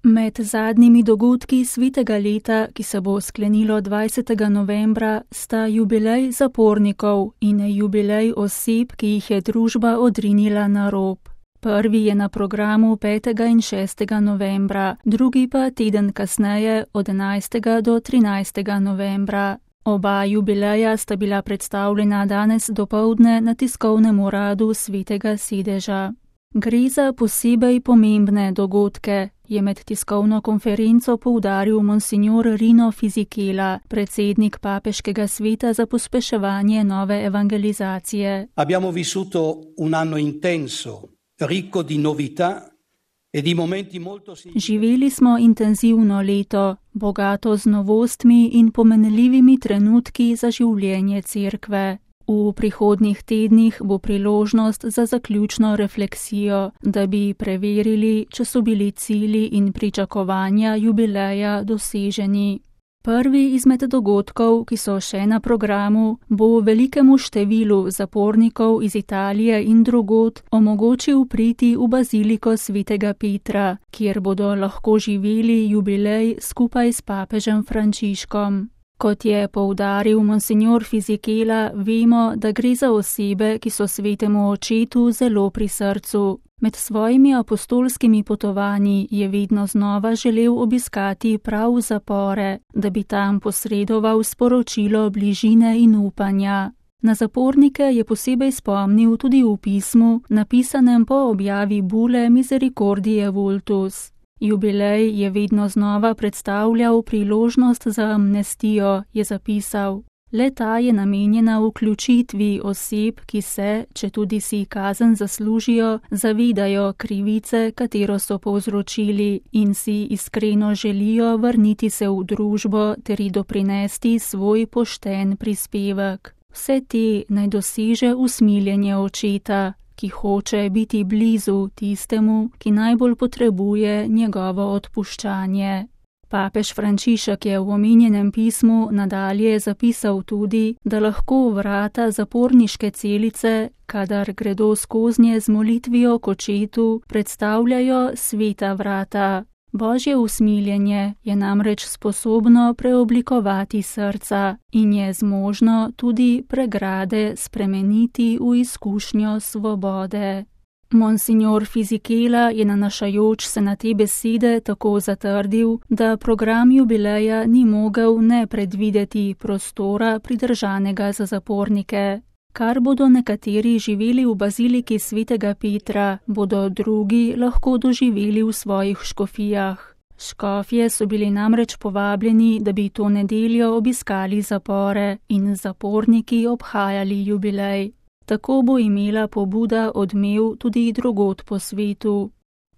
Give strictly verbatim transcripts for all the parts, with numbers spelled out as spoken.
Med zadnjimi dogodki svetega leta, ki se bo sklenilo dvajsetega novembra, sta jubilej zapornikov in jubilej oseb, ki jih je družba odrinila na rob. Prvi je na programu petega in šestega novembra, drugi pa teden kasneje od enajstega do trinajstega novembra. Oba jubileja sta bila predstavljena danes dopoldne na tiskovnem uradu Svetega sedeža. Gre za posebej pomembne dogodke, je med tiskovno konferenco poudaril monsignor Rino Fisichella, predsednik Papeškega sveta za pospeševanje nove evangelizacije. Abbiamo vissuto un anno intenso, ricco di novità e di momenti molto Živeli smo intenzivno leto, bogato z novostmi in pomenljivimi trenutki za življenje cerkve. V prihodnjih tednih bo priložnost za zaključno refleksijo, da bi preverili, če so bili cilji in pričakovanja jubileja doseženi. Prvi izmed dogodkov, ki so še na programu, bo velikemu številu zapornikov iz Italije in drugod omogočil priti v baziliko Svetega Petra, kjer bodo lahko živeli jubilej skupaj s papežem Frančiškom. Kot je poudaril monsignor Fisichella, vemo, da gre za osebe, ki so svetemu očetu zelo pri srcu. Med svojimi apostolskimi potovanji je vedno znova želel obiskati prav zapore, da bi tam posredoval sporočilo bližine in upanja. Na zapornike je posebej spomnil tudi v pismu, napisanem po objavi bule Misericordiae Vultus. Jubilej je vedno znova predstavljal priložnost za amnestijo, je zapisal. Le ta je namenjena vključitvi oseb, ki se, če tudi si kazen zaslužijo, zavedajo krivice, katero so povzročili in si iskreno želijo vrniti se v družbo ter ji doprinesti svoj pošten prispevek. Vse te naj doseže usmiljenje očeta, ki hoče biti blizu tistemu, ki najbolj potrebuje njegovo odpuščanje. Papež Frančišek je v omenjenem pismu nadalje zapisal tudi, da lahko vrata zaporniške celice, kadar gredo skoznje z molitvijo k očetu, predstavljajo sveta vrata. Božje usmiljenje je namreč sposobno preoblikovati srca in je zmožno tudi pregrade spremeniti v izkušnjo svobode. Monsignor Fisichella je nanašajoč se na te besede tako zatrdil, da program jubileja ni mogel ne predvideti prostora pridržanega za zapornike. Kar bodo nekateri živeli v baziliki Svetega Petra, bodo drugi lahko doživeli v svojih škofijah. Škofje so bili namreč povabljeni, da bi to nedeljo obiskali zapore in zaporniki obhajali jubilej. Tako bo imela pobuda odmev tudi drugod po svetu.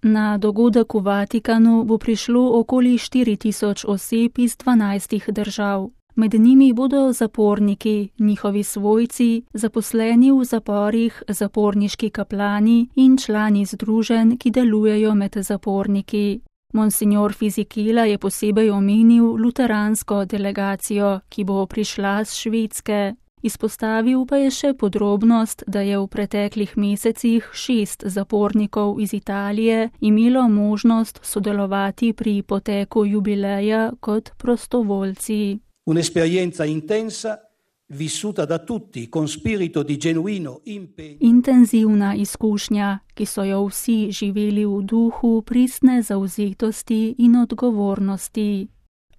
Na dogodek v Vatikanu bo prišlo okoli štiri tisoč oseb iz dvanajstih držav. Med njimi bodo zaporniki, njihovi svojci, zaposleni v zaporih, zaporniški kaplani in člani združenj, ki delujejo med zaporniki. Monsignor Fisichella je posebej omenil luteransko delegacijo, ki bo prišla z Švedske. Izpostavil pa je še podrobnost, da je v preteklih mesecih šest zapornikov iz Italije imelo možnost sodelovati pri poteku jubileja kot prostovoljci. Un'esperienza intensa, vissuta da tutti con spirito di genuino impegno. Intenzivna izkušnja, ki so jo vsi živeli v duhu pristne zavzetosti in odgovornosti.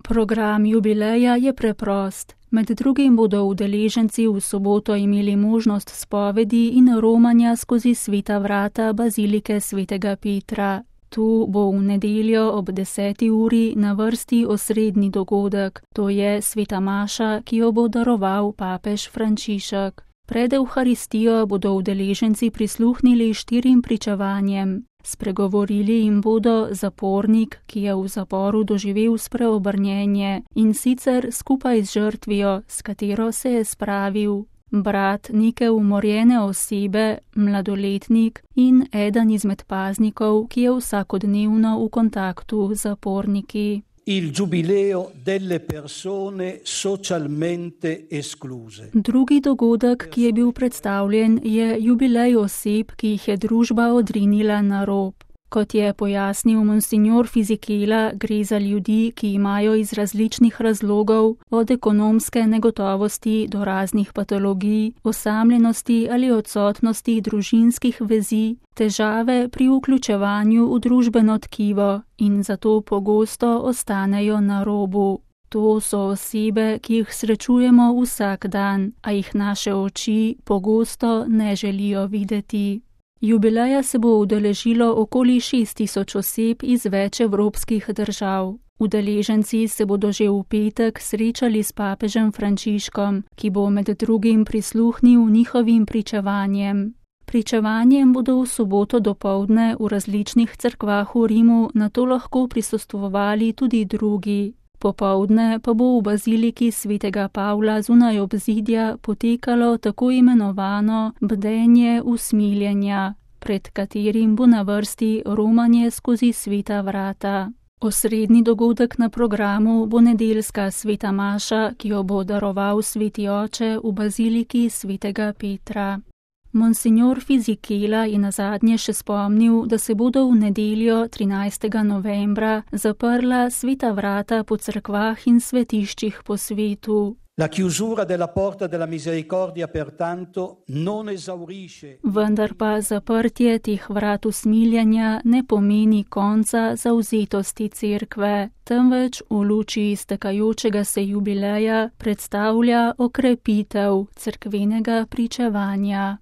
Program jubileja je preprost. Med drugim bodo udeleženci v soboto imeli možnost spovedi in romanja skozi sveta vrata bazilike Svetega Petra. Tu bo v nedeljo ob deseti uri na vrsti osrednji dogodek, to je sveta maša, ki jo bo daroval papež Frančišek. Pred Evharistijo bodo udeleženci prisluhnili štirim pričevanjem. Spregovorili jim bodo zapornik, ki je v zaporu doživel spreobrnjenje in sicer skupaj z žrtvijo, s katero se je spravil, brat neke umorjene osebe, mladoletnik in eden izmed paznikov, ki je vsakodnevno v kontaktu z zaporniki. Il giubileo delle persone socialmente escluse. Drugi dogodek, ki je bil predstavljen, je jubilej oseb, ki jih je družba odrinila na rob. Kot je pojasnil monsignor Fisichella, gre za ljudi, ki imajo iz različnih razlogov, od ekonomske negotovosti do raznih patologij, osamljenosti ali odsotnosti družinskih vezi, težave pri vključevanju v družbeno tkivo in zato pogosto ostanejo na robu. To so osebe, ki jih srečujemo vsak dan, a jih naše oči pogosto ne želijo videti. Jubileja se bo udeležilo okoli šest tisoč oseb iz več evropskih držav. Udeleženci se bodo že v petek srečali s papežem Frančiškom, ki bo med drugim prisluhnil njihovim pričevanjem. Pričevanjem bodo v soboto dopoldne v različnih cerkvah v Rimu nato lahko prisostvovali tudi drugi. Popoldne pa bo v baziliki svetega Pavla zunaj obzidja potekalo tako imenovano bdenje usmiljenja, pred katerim bo na vrsti romanje skozi sveta vrata. Osrednji dogodek na programu bo nedeljska sveta maša, ki jo bo daroval sveti oče v baziliki svetega Petra. Monsignor Fisichella je nazadnje še spomnil, da se bodo v nedeljo trinajstega novembra zaprla sveta vrata po cerkvah in svetiščih po svetu. La chiusura della porta della misericordia pertanto non esaurisce. Vendar pa zaprtje teh vrat usmiljanja ne pomeni konca zavzetosti cerkve, temveč v luči iztekajočega se jubileja predstavlja okrepitev cerkvenega pričevanja.